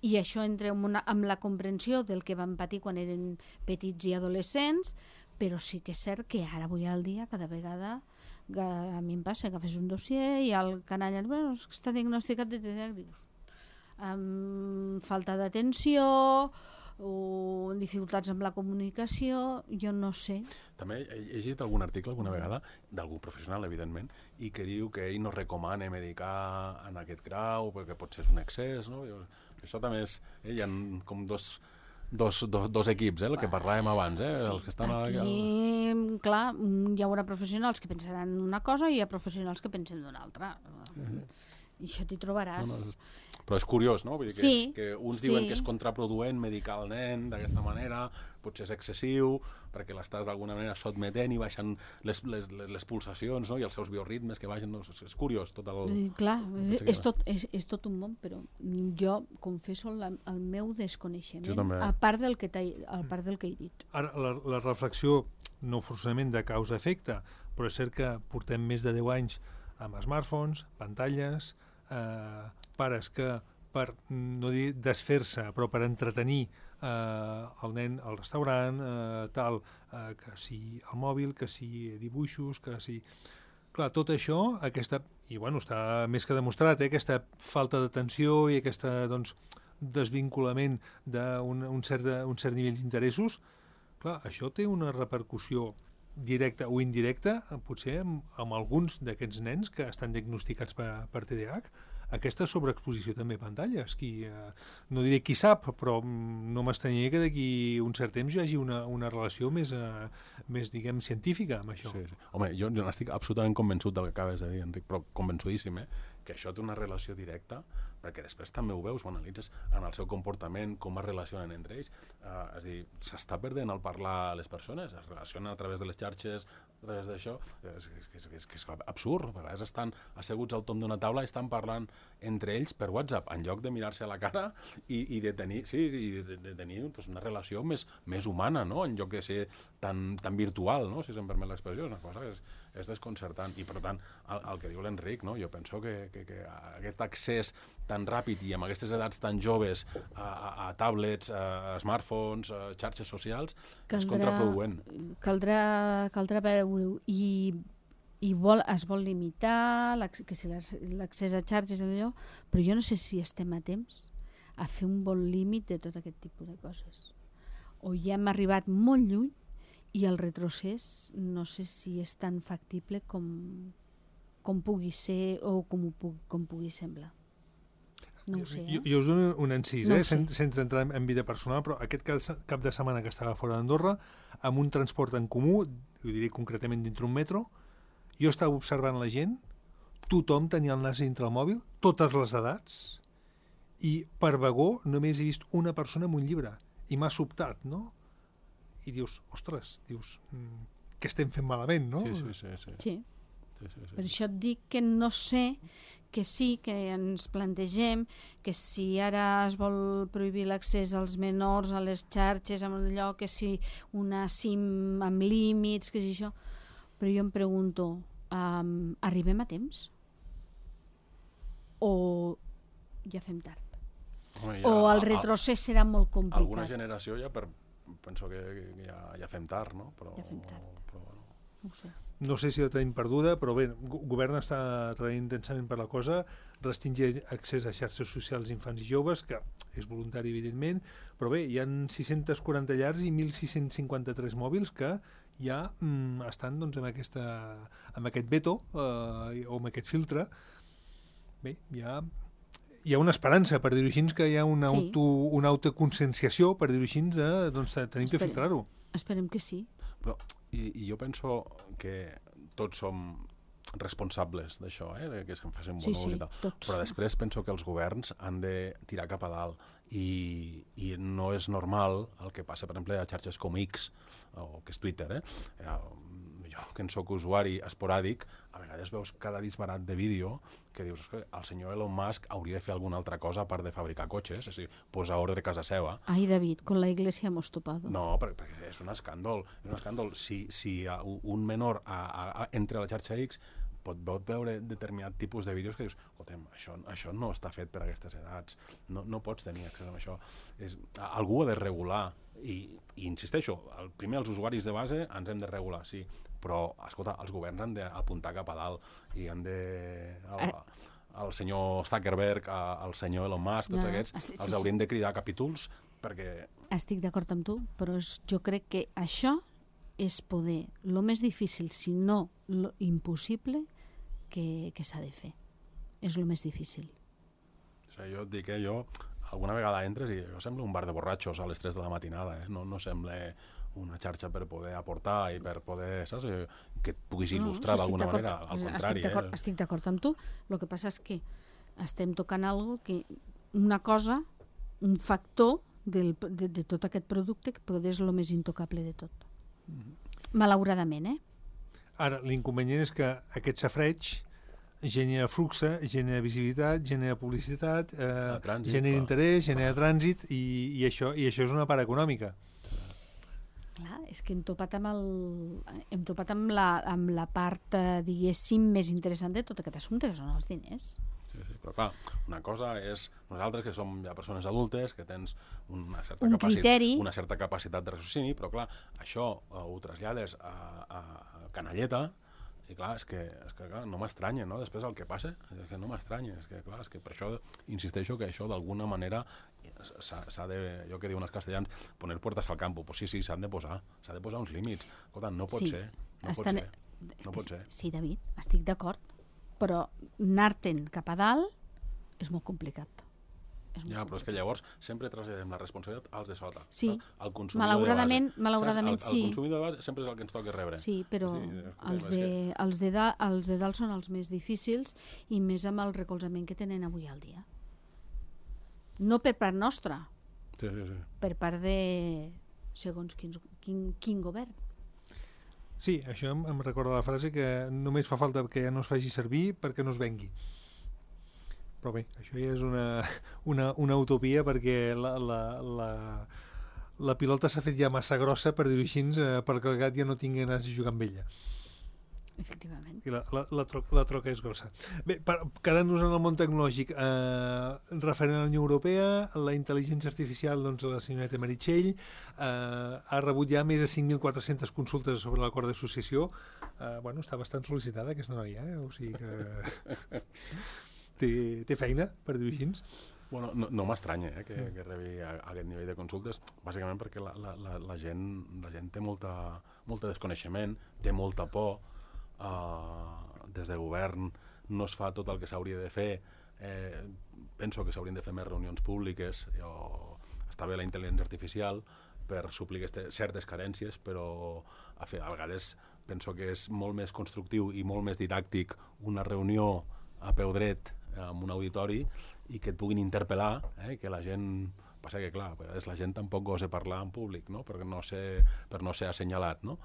i això entra amb la comprensió del que van patir quan eren petits i adolescents, però sí que és cert que ara avui al dia cada vegada a mi em passa que fes un dossier i el canalla està diagnosticat de TDAH, amb falta d'atenció o dificultats amb la comunicació, jo no sé. També he llegit algun article alguna vegada, d'algú professional, evidentment, i que diu que ell no recomana medicar en aquest grau perquè potser és un excés, no? Això també és... Hi ha com dos equips, el que parlàvem abans, els que estan aquí, clar, hi haurà professionals que pensaran una cosa i hi ha professionals que pensen d'una altra. I això t'hi trobaràs. Però és curiós, no? Vull dir Sí, que uns diuen que és contraproduent medicar el nen d'aquesta manera, potser és excessiu, perquè l'estàs d'alguna manera sotmetent i baixen les pulsacions, no? I els seus bioritmes que baixen. No? És curiós tot el... Clar, és tot un món, però jo confesso el meu desconeixement, a part del que he dit. Ara, la reflexió, no forçament de causa-efecte, però és cert que portem més de 10 anys amb smartphones, pantalles, pares que per, no dir desfer-se, però per entretenir el nen al restaurant, que si el mòbil, que si dibuixos, que si... Clar, tot això, i bueno, està més que demostrat, aquesta falta d'atenció i aquest desvinculament d'un cert nivell d'interessos, clar, això té una repercussió directa o indirecta, potser amb alguns d'aquests nens que estan diagnosticats per TDAH, aquesta sobreexposició també a pantalles. No diré qui sap, però no m'estranyaria que d'aquí un cert temps hi hagi una relació més diguem, científica amb això. Sí. Home, jo n'estic absolutament convençut del que acabes de dir, Enric, però convençudíssim, que això té una relació directa, perquè després també ho veus, ho analitzes en el seu comportament, com es relacionen entre ells. És a dir, s'està perdent al parlar a les persones, es relacionen a través de les xarxes, a través d'això. És absurd. A vegades estan asseguts al tomb d'una taula i estan parlant entre ells per WhatsApp, en lloc de mirar-se a la cara i de tenir una relació més humana, no? En lloc de ser tan virtual, no? Si se'm permet l'expressió, una cosa que és desconcertant. I, per tant, el que diu l'Enric, no? Jo penso que aquest accés tan ràpid i amb aquestes edats tan joves a tablets, a smartphones, a xarxes socials, és contraproduent. Caldrà veure-ho i es vol limitar l'accés a xarxes, però jo no sé si estem a temps a fer un bon límit de tot aquest tipus de coses. O ja hem arribat molt lluny i el retrocés no sé si és tan factible com pugui ser o com pugui semblar. No ho sé. Jo us dono un encís, sense entrar en vida personal, però aquest cap de setmana que estava fora d'Andorra, amb un transport en comú, ho diré concretament dintre un metro, jo estava observant la gent, tothom tenia el nas dintre el mòbil, totes les edats, i per vagó només he vist una persona amb un llibre, i m'ha sobtat, no? I dius, ostres, què estem fent malament, no? Sí. Per això et dic que no sé, que sí, que ens plantegem que si ara es vol prohibir l'accés als menors a les xarxes, amb allò, que si una SIM amb límits, que si això... Però jo em pregunto, arribem a temps? O ja fem tard? Home, o el retrocés serà molt complicat? Alguna generació penso que ja fem tard, no? Ja fem tard. Però bueno. No ho sé. No sé si la tenim perduda, però bé, el govern està treballant intensament per la cosa, restringir accés a xarxes socials infants i joves, que és voluntari, evidentment, però bé, hi ha 640 llars i 1.653 mòbils que ja estan amb aquest veto o amb aquest filtre. Bé, hi ha una esperança, per dir-ho així, que hi ha una autoconscienciació, per dir-ho així, de tenim que filtrar-ho. Esperem que sí. Però, i jo penso que tots som responsables d'això, que se'n facin Sí, bonus sí, i tal. tots. Però després penso que els governs han de tirar cap a dalt i no és normal el que passa, per exemple, a xarxes com X, o que és Twitter, jo que en soc usuari esporàdic, a vegades veus cada disbarat de vídeo que dius que el senyor Elon Musk hauria de fer alguna altra cosa a part de fabricar cotxes, és a dir, posar ordre a casa seva. Ay, David, con la iglesia hemos topado. No, perquè és un escàndol. És un escàndol. Si un menor entra a la xarxa X pot veure determinat tipus de vídeos que dius, escolta'm, això no està fet per a aquestes edats, no pots tenir accés a això. Algú ha de regular i insisteixo, primer els usuaris de base ens hem de regular, sí, però, escolta, els governs han d'apuntar cap a dalt i han de... El senyor Zuckerberg, el senyor Elon Musk, tots aquests, els haurien de cridar a capítols perquè... Estic d'acord amb tu, però jo crec que això és poder, el més difícil, si no lo impossible, que s'ha de fer. És el més difícil. O sigui, jo et dic que alguna vegada entres i jo sembla un bar de borratxos a les 3 de la matinada, no sembla una xarxa per poder aportar i per poder, saps? Que et puguis il·lustrar d'alguna manera, al contrari. Estic d'acord amb tu, el que passa és que estem tocant una cosa, un factor de tot aquest producte que potser és el més intocable de tot. Malauradament, Ara, l'inconvenient és que aquest safreig genera flux, genera visibilitat, genera publicitat, genera interès, genera trànsit i això és una part econòmica. Clar, és que hem topat amb la part, diguéssim, més interessant de tot aquest assumpte, que són els diners. Sí, però clar, una cosa és nosaltres que som ja persones adultes, que tens una certa capacitat de raciocini, però clar, això ho trasllades a canalleta i clar, és que clar, no m'estranya, no? Després el que passa, és que no m'estranya, és que clar, és que per això insisteixo que això d'alguna manera s'ha de, jo que diuen els castellans, poner puertas al campo. Pues sí, s'han de posar uns límits. Escolta, no pot ser. Sí, David, estic d'acord, però anar-te'n cap a dalt és molt complicat. Ja, però és que llavors sempre traslladem la responsabilitat als de sota. Sí, malauradament sí. El consumidor de base sempre és el que ens toca rebre. Sí, però els de dalt són els més difícils i més amb el recolzament que tenen avui al dia. No per part nostra, per part de segons quin govern. Sí, això em recorda la frase que només fa falta que no es faci servir perquè no es vengui. Però bé, això ja és una utopia perquè la pilota s'ha fet ja massa grossa, per dir-ho així, perquè el gat ja no tingui ganes de jugar amb ella. Efectivament. I la troca és grossa. Bé, quedant-nos en el món tecnològic, referent a la Unió Europea, la intel·ligència artificial, doncs la senyoreta Meritxell ha rebut ja més de 5.400 consultes sobre l'acord d'associació. Bueno, està bastant sol·licitada aquesta noia, o sigui que... té feina, per dir-ho així. Bueno, no m'estranya que rebi aquest nivell de consultes, bàsicament perquè la gent té molt desconeixement, té molta por, des de govern no es fa tot el que s'hauria de fer. Penso que s'haurien de fer més reunions públiques, està bé la intel·ligència artificial per suplir certes carències, però a vegades penso que és molt més constructiu i molt més didàctic una reunió a peu dret en un auditori i que et puguin interpel·lar, que la gent... Passa que, clar, a vegades la gent tampoc gosa parlar en públic, no? Per no ser assenyalat, no?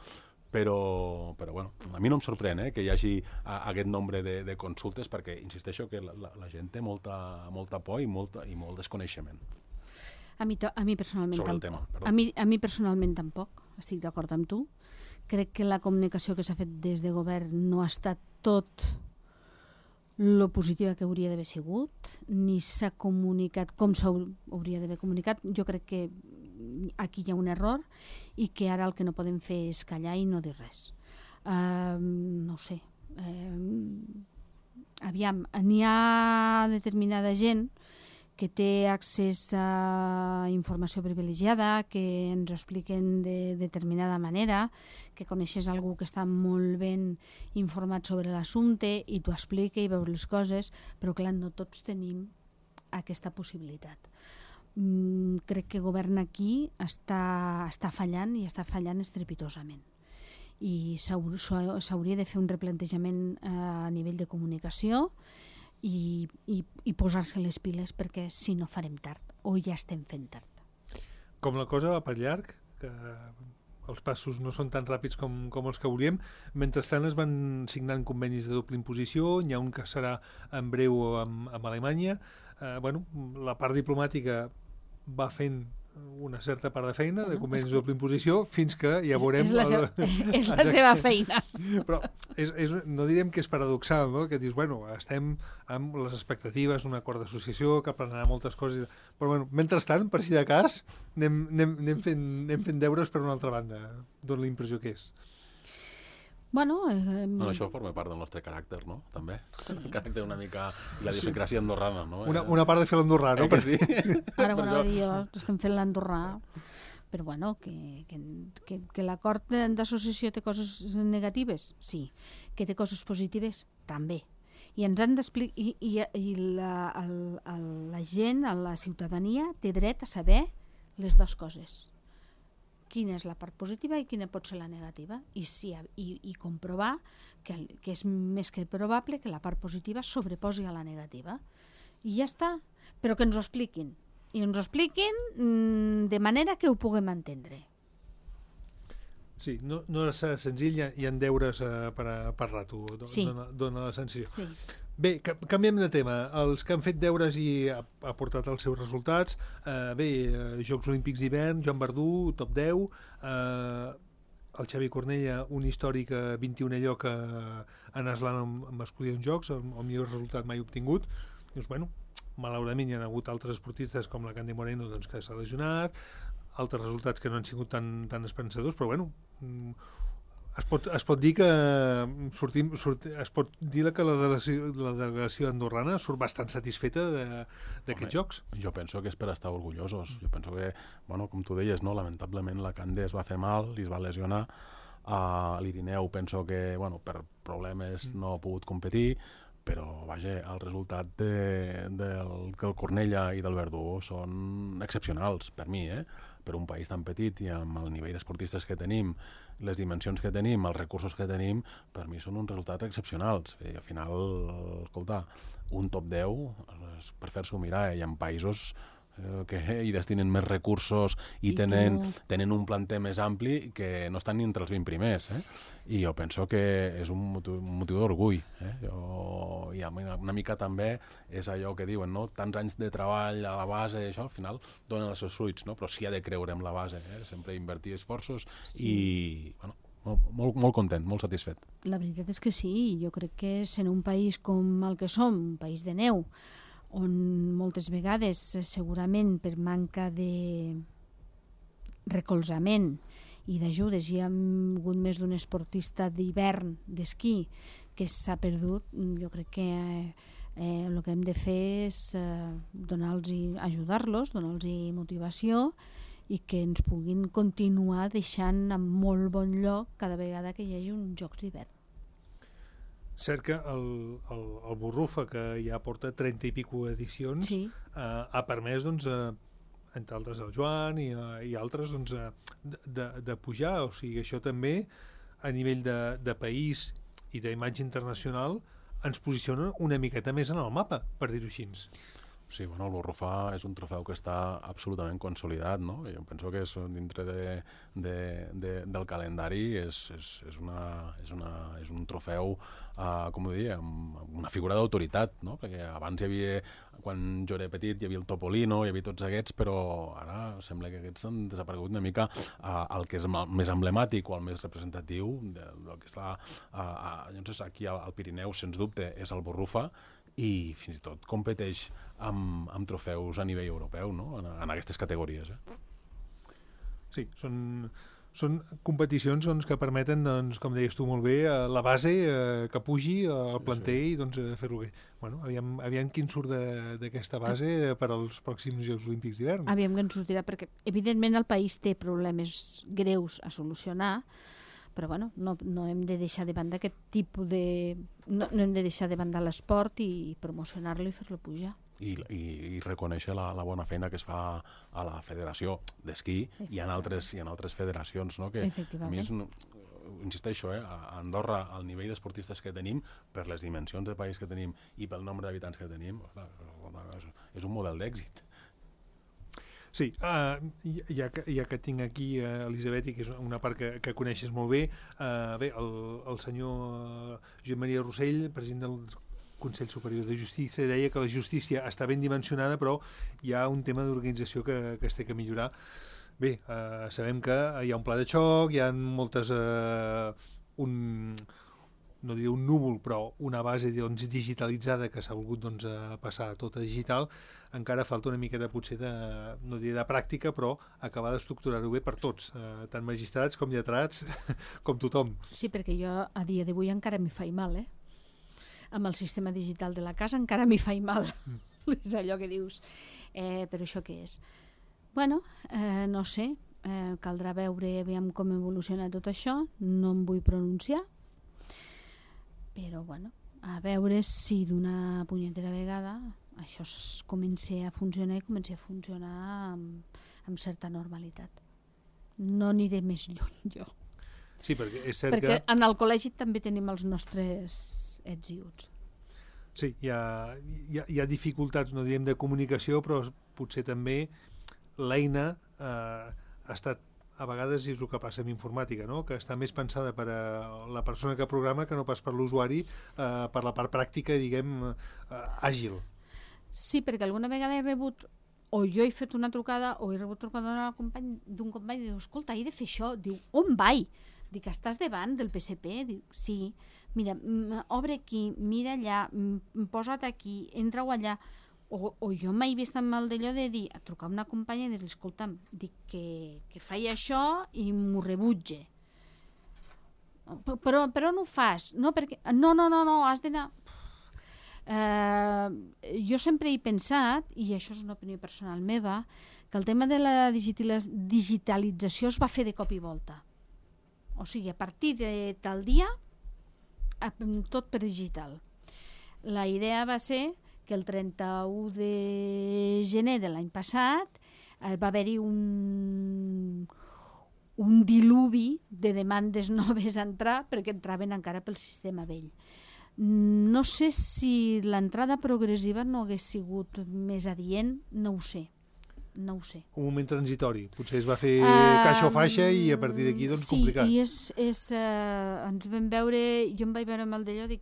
Però bueno, a mi no em sorprèn que hi hagi aquest nombre de consultes perquè, insisteixo, que la gent té molta por i molt desconeixement. A mi personalment sobre el tampoc. tema, A mi personalment tampoc, estic d'acord amb tu. Crec que la comunicació que s'ha fet des de govern no ha estat tot lo positiva que hauria d'haver sigut, ni s'ha comunicat com s'hauria d'haver comunicat. Jo crec que aquí hi ha un error i que ara el que no podem fer és callar i no dir res. No ho sé. Aviam, n'hi ha determinada gent que té accés a informació privilegiada, que ens ho expliquen de determinada manera, que coneixes algú que està molt ben informat sobre l'assumpte i t'ho explica i veus les coses, però clar, no tots tenim aquesta possibilitat. Crec que el govern aquí està fallant i està fallant estrepitosament. i s'hauria de fer un replantejament a nivell de comunicació i posar-se les piles, perquè si no farem tard, o ja estem fent tard. Com la cosa va per llarg, que els passos no són tan ràpids com els que volíem. Mentrestant es van signant convenis de doble imposició, n'hi ha un que serà en breu amb Alemanya. La part diplomàtica va fent una certa part de feina, de convenis de doble imposició, fins que ja veurem... És la seva feina. Però no direm que és paradoxal, no? Que dius, estem amb les expectatives d'un acord d'associació que planearà moltes coses, però mentrestant, per si de cas, anem fent deures per una altra banda. Dóna la impressió que és. Això forma part del nostre caràcter, no? També. Sí. El caràcter una mica... I la idiosincràsia andorrana, no? Una part de fer l'andorrà, no? Sí? Ara, estem fent l'andorrà, però que l'acord d'associació té coses negatives? Sí. Que té coses positives? També. I ens han d'explicar... I la gent, la ciutadania, té dret a saber les dues coses. Quina és la part positiva i quina pot ser la negativa, i comprovar que és més que probable que la part positiva sobreposi a la negativa. I ja està, però que ens ho expliquin. I ens ho expliquin de manera que ho puguem entendre. Sí, no és senzill, hi ha deures per rato, dona la sensació. Sí. Bé, canviem de tema. Els que han fet deures i ha portat els seus resultats, Jocs Olímpics d'hivern, Joan Verdú, top 10, el Xavi Cornella, un històric 21è lloc en eslant amb masculí en jocs, el millor resultat mai obtingut. Dius, malauradament hi ha hagut altres esportistes com la Candy Moreno, que s'ha lesionat, altres resultats que no han sigut tan esperançadors, però es pot dir que la delegació andorrana surt bastant satisfeta d'aquests jocs. Jo penso que és per estar orgullosos. Jo penso que, com tu deies, no, lamentablement la Cande es va fer mal i es va lesionar. L'Irineu penso que per problemes no ha pogut competir, però el resultat del Cornella i del Verdú són excepcionals per mi, per un país tan petit i amb el nivell d'esportistes que tenim, les dimensions que tenim, els recursos que tenim, per mi són uns resultats excepcionals. I al final, escolta, un top 10 per fer-s'ho mirar, hi ha països que hi destinen més recursos i tenen un planter més ampli que no estan ni entre els 20 primers. I jo penso que és un motiu d'orgull. I una mica també és allò que diuen, no? Tants anys de treball a la base, això al final donen els seus fruits, no? Però sí ha de creure en la base, sempre invertir esforços i molt content, molt satisfet. La veritat és que sí, jo crec que sent un país com el que som, un país de neu, on moltes vegades, segurament per manca de recolzament i d'ajudes, hi ha hagut més d'un esportista d'hivern, d'esquí, que s'ha perdut. Jo crec que el que hem de fer és ajudar-los, donar-los motivació i que ens puguin continuar deixant en molt bon lloc cada vegada que hi hagi uns Jocs d'hivern. Cert que el Burrufa, que ja porta 30 i pico edicions, ha permès, entre altres el Joan i altres, de pujar. O sigui, això també, a nivell de país i d'imatge internacional, ens posiciona una miqueta més en el mapa, per dir-ho així. Sí, el Burrufa és un trofeu que està absolutament consolidat, no? Jo penso que dintre del calendari és un trofeu, com ho diria, amb una figura d'autoritat, no? Perquè abans hi havia, quan jo era petit, hi havia el Topolino, hi havia tots aquests, però ara sembla que aquests han desaparegut una mica. El que és més emblemàtic o el més representatiu del que és aquí al Pirineu, sens dubte, és el Burrufa, i fins i tot competeix amb trofeus a nivell europeu, no? En aquestes categories. Sí, són competicions que permeten, com deies tu molt bé, la base que pugi al planter i fer-lo bé. Aviam quin surt d'aquesta base per als pròxims Jocs Olímpics d'hivern. Aviam que en sortirà, perquè evidentment el país té problemes greus a solucionar, però no hem de deixar de banda aquest tipus de... No hem de deixar de banda l'esport i promocionar-lo i fer-lo pujar. I reconèixer la bona feina que es fa a la federació d'esquí i en altres federacions, no? Que a mi insisteixo, a Andorra, el nivell d'esportistes que tenim, per les dimensions de país que tenim i pel nombre d'habitants que tenim, és un model d'èxit. Sí, ja que tinc aquí Elisabet, que és una part que coneixes molt bé, el senyor Josep Maria Rossell, president del Consell Superior de Justícia, deia que la justícia està ben dimensionada, però hi ha un tema d'organització que es té que millorar. Bé, sabem que hi ha un pla de xoc, hi ha moltes... no diré un núvol, però una base digitalitzada que s'ha volgut passar tota digital. Encara falta una miqueta potser no diré de pràctica, però acabar d'estructurar-ho bé per tots, tant magistrats com lletrats, com tothom. Sí, perquè jo a dia d'avui encara m'hi faig mal, amb el sistema digital de la casa encara m'hi faig mal. És allò que dius. Però això què és? Bueno, no sé, caldrà veure aviam com evoluciona tot això, no em vull pronunciar, però bueno, a veure si d'una punyetera vegada això comença a funcionar i comença a funcionar amb certa normalitat. No aniré més lluny jo. Sí, perquè és cert perquè en el col·legi també tenim els nostres ets i uts. Sí, hi ha dificultats, no direm de comunicació, però potser també l'eina ha estat, a vegades és el que passa amb informàtica, no? Que està més pensada per a la persona que programa que no pas per l'usuari, per la part pràctica, diguem, àgil. Sí, perquè alguna vegada he rebut, o jo he fet una trucada, o he rebut trucada d'un company, diu, escolta, he de fer això. Diu, on vaig? Dic, estàs davant del PSP? Diu, sí. Mira, obre aquí, mira allà, posa't aquí, entra-ho allà. O jo m'he vist amb el d'allò de dir, a trucar a una companya i dir-li, escolta'm, dic que faig això i m'ho rebutge. Però no ho fas. No, perquè... No, has d'anar... Jo sempre he pensat, i això és una opinió personal meva, que el tema de la digitalització es va fer de cop i volta. O sigui, a partir de tal dia, tot per digital. La idea va ser que el 31 de gener de l'any passat va haver-hi un diluvi de demandes noves a entrar perquè entraven encara pel sistema vell. No sé si l'entrada progressiva no hagués sigut més adient, no ho sé. Un moment transitori, potser es va fer caixa o faixa i a partir d'aquí complicat. Sí, ens vam veure, jo em vaig veure amb el d'allò, dic,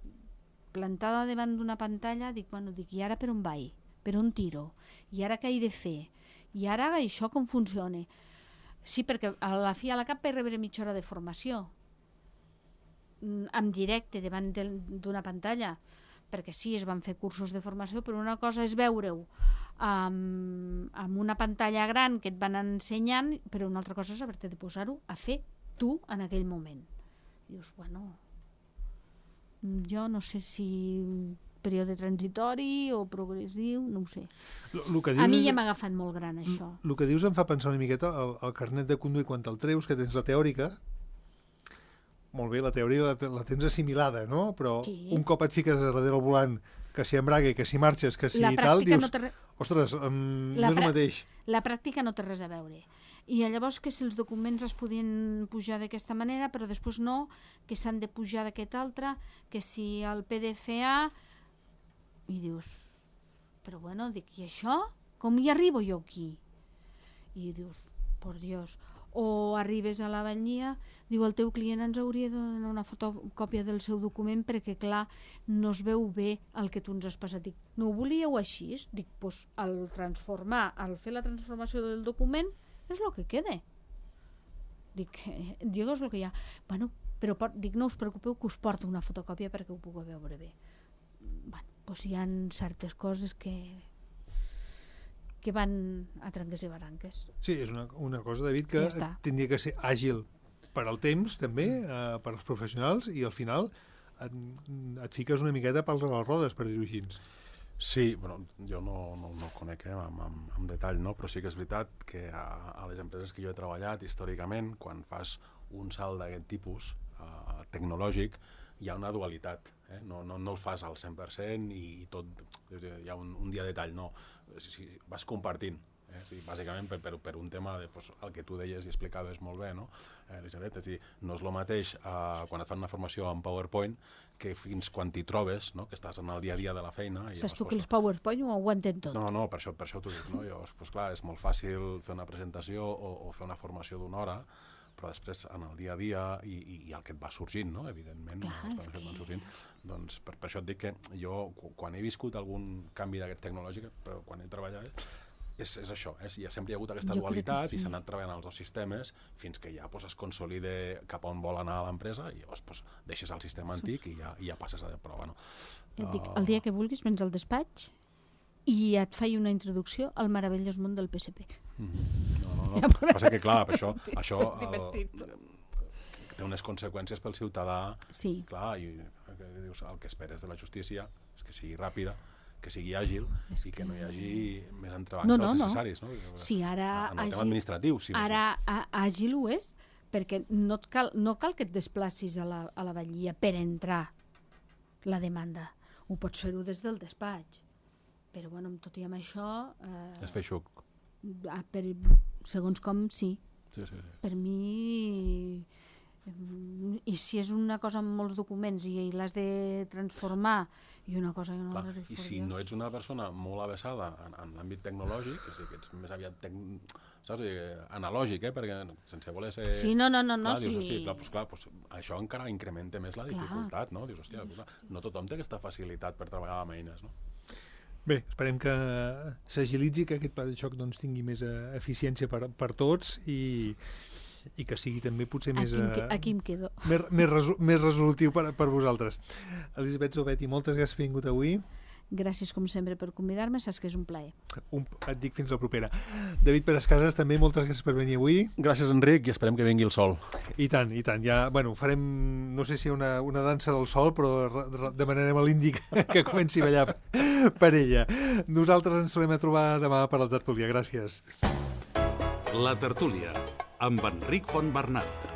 plantada davant d'una pantalla, dic, i ara per on vaig? Per on tiro? I ara què he de fer? I ara això com funciona? Sí, perquè a la fi a la cap vaig rebre mitja hora de formació en directe davant d'una pantalla, perquè sí, es van fer cursos de formació, però una cosa és veure-ho amb una pantalla gran que et van ensenyant, però una altra cosa és haver-te de posar-ho a fer tu en aquell moment. Dius, jo no sé si període transitori o progressiu, no ho sé. A mi ja m'ha agafat molt gran, això. El que dius em fa pensar una miqueta el carnet de conduir quan te'l treus, que tens la teòrica. Molt bé, la teoria la tens assimilada, no? Però un cop et fiques darrere el volant, que si embrague, que si marxes, que si tal, dius, ostres, no és el mateix. La pràctica no té res a veure. I llavors que si els documents es podien pujar d'aquesta manera, però després no, que s'han de pujar d'aquesta altra, que si el PDF-A... I dius, però bueno, dic, i això? Com hi arribo jo aquí? I dius, por Dios. O arribes a la batllia, diu, el teu client ens hauria de donar una fotocòpia del seu document perquè, clar, no es veu bé el que tu ens has passat. Dic, no ho volíeu així? Dic, doncs al fer la transformació del document és el que queda. Dic, és el que hi ha. Bueno, però dic, no us preocupeu que us porto una fotocòpia perquè ho pugueu veure bé. Bueno, doncs hi ha certes coses que van a tranques i barranques. Sí, és una cosa, David, que tindria que ser àgil per al temps, també, per als professionals, i al final et fiques una miqueta pels a les rodes, per dir-ho així. Sí, bueno, jo no ho conec amb detall, no? Però sí que és veritat que a les empreses que jo he treballat històricament, quan fas un salt d'aquest tipus tecnològic, hi ha una dualitat. No el fas al 100% i tot, hi ha un dia de tall, no. Vas compartint Bàsicament per un tema de el que tu deies i explicaves molt bé, no? Elisabet, és a dir, no és el mateix quan et fan una formació en PowerPoint que fins quan t'hi trobes, no? Que estàs en el dia a dia de la feina. Saps tu que els PowerPoint ho aguanten tot? No, per això t'ho dic, no? Llavors, clar, és molt fàcil fer una presentació o fer una formació d'una hora, però després en el dia a dia i el que et va sorgint, no? Evidentment, doncs per això et dic que jo, quan he viscut algun canvi d'aquest tecnològic, però quan he treballat, és això, sempre hi ha hagut aquesta dualitat i s'ha anat treballant els dos sistemes fins que ja es consolide cap on vol anar l'empresa i llavors deixes el sistema antic i ja passes a... Però bueno... Et dic, el dia que vulguis vens al despatx i et faig una introducció al meravellós món del PSP. No. Passa que, clar, això té unes conseqüències pel ciutadà. Sí. Clar, el que esperes de la justícia és que sigui ràpida, que sigui àgil i que no hi hagi més entrebancs dels necessaris. Sí, ara... En el tema administratiu. Ara àgil ho és, perquè no cal que et desplacis a la batllia per entrar la demanda. Ho pots fer-ho des del despatx. Però, bueno, tot i amb això... És fer xuc. Segons com, sí. Per mi... I si és una cosa amb molts documents i l'has de transformar i una cosa i una altra... I si no ets una persona molt avesada en l'àmbit tecnològic, és a dir, que ets més aviat analògic, perquè sense voler ser... Sí, no. Dius, hòstia, això encara incrementa més la dificultat, no? Dius, hòstia, no tothom té aquesta facilitat per treballar amb eines, no? Bé, esperem que s'agilitzi, que aquest pla de xoc tingui més eficiència per tots i que sigui també potser més... Aquí em quedo. Més resolutiu per vosaltres. Elisabet Zaubetti, moltes gràcies per haver vingut avui. Gràcies, com sempre, per convidar-me. Saps que és un plaer. Et dic fins la propera. David Perescases, també moltes gràcies per venir avui. Gràcies, Enric, i esperem que vingui el sol. I tant. Ja, bueno, farem, no sé si una dansa del sol, però demanarem a l'Índic que comenci a ballar per ella. Nosaltres ens tornem a trobar demà per la tertúlia. Gràcies. La tertúlia, amb Enric Fontbernat.